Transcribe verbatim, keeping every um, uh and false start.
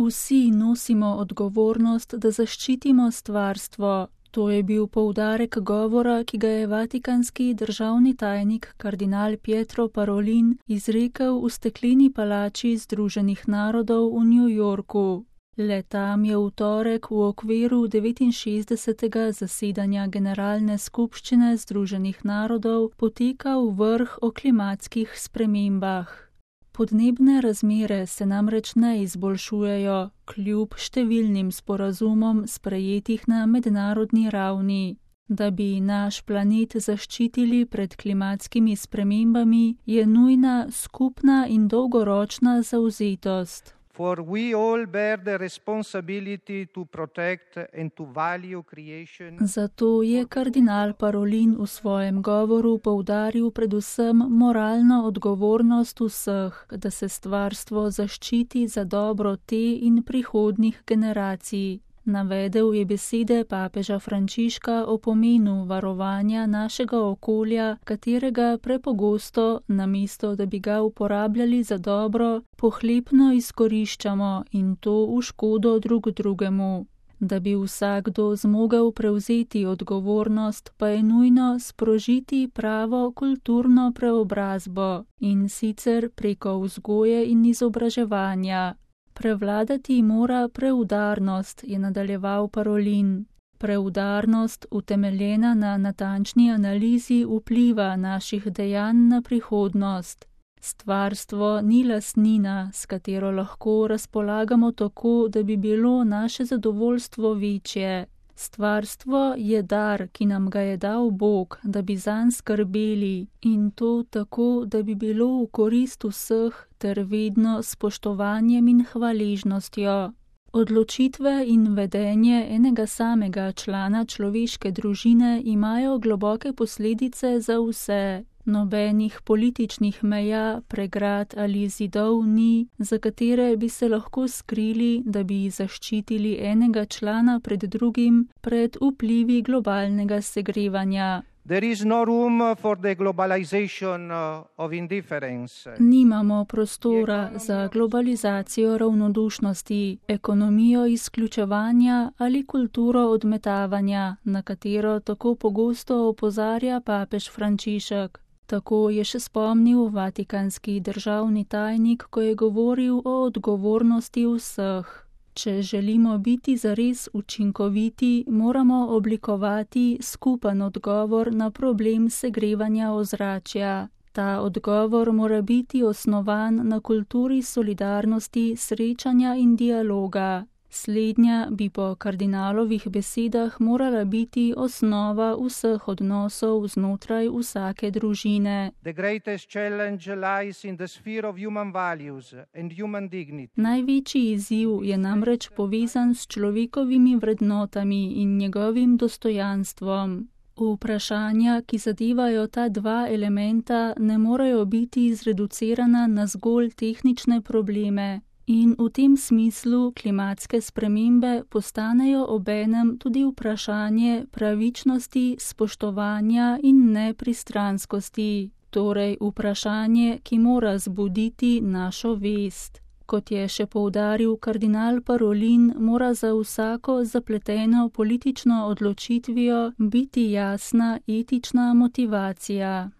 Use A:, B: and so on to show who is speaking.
A: Vsi nosimo odgovornost, da zaščitimo stvarstvo. To je bil poudarek govora, ki ga je vatikanski državni tajnik kardinal Pietro Parolin izrekel v stekleni palači Združenih narodov v New Yorku. Le tam je v torek v okviru devetinšestdesetega zasedanja Generalne skupščine Združenih narodov potekal vrh o klimatskih spremembah. Podnebne razmere se namreč ne izboljšujejo, kljub številnim sporazumom sprejetih na mednarodni ravni. Da bi naš planet zaščitili pred klimatskimi spremembami, je nujna skupna in dolgoročna zavzetost.
B: For we all bear the responsibility to protect and to value creation.
A: Zato je kardinal Parolin v svojem govoru poudaril predvsem moralno odgovornost vseh, da se stvarstvo zaščiti za dobro te in prihodnjih generacij. Navedel je besede papeža Frančiška o pomenu varovanja našega okolja, katerega prepogosto, namesto da bi ga uporabljali za dobro, pohlepno izkoriščamo in to v škodo drug drugemu. Da bi vsakdo zmogel prevzeti odgovornost, pa je nujno sprožiti pravo kulturno preobrazbo, in sicer preko vzgoje in izobraževanja. Prevladati mora preudarnost, je nadaljeval Parolin. Preudarnost, utemeljena na natančni analizi vpliva naših dejanj na prihodnost. Stvarstvo ni lastnina, s katero lahko razpolagamo tako, da bi bilo naše zadovoljstvo večje. Stvarstvo je dar, ki nam ga je dal Bog, da bi zanj skrbeli, in to tako, da bi bilo v korist vseh ter vedno s spoštovanjem in hvaležnostjo. Odločitve in vedenje enega samega člana človeške družine imajo globoke posledice za vse. Nobenih političnih meja, pregrad ali zidov ni, za katere bi se lahko skrili, da bi zaščitili enega člana pred drugim pred vplivi globalnega segrevanja.
B: There is no room for the globalization of indifference.
A: Nimamo prostora za globalizacijo ravnodušnosti, ekonomijo izključevanja ali kulturo odmetavanja, na katero tako pogosto opozarja papež Frančišek. Tako je še spomnil vatikanski državni tajnik, ko je govoril o odgovornosti vseh. Če želimo biti zares učinkoviti, moramo oblikovati skupen odgovor na problem segrevanja ozračja. Ta odgovor mora biti osnovan na kulturi solidarnosti, srečanja in dialoga. Slednja bi po kardinalovih besedah morala biti osnova vseh odnosov znotraj vsake družine.
B: The greatest challenge lies in the sphere of human values and human dignity.
A: Največji izziv je namreč povezan s človekovimi vrednotami in njegovim dostojanstvom. Vprašanja, ki zadevajo ta dva elementa, ne morejo biti zreducirana na zgolj tehnične probleme. In v tem smislu klimatske spremembe postanejo obenem tudi vprašanje pravičnosti, spoštovanja in nepristranskosti, torej vprašanje, ki mora zbuditi našo vest. Kot je še poudaril kardinal Parolin, mora za vsako zapleteno politično odločitvijo biti jasna etična motivacija.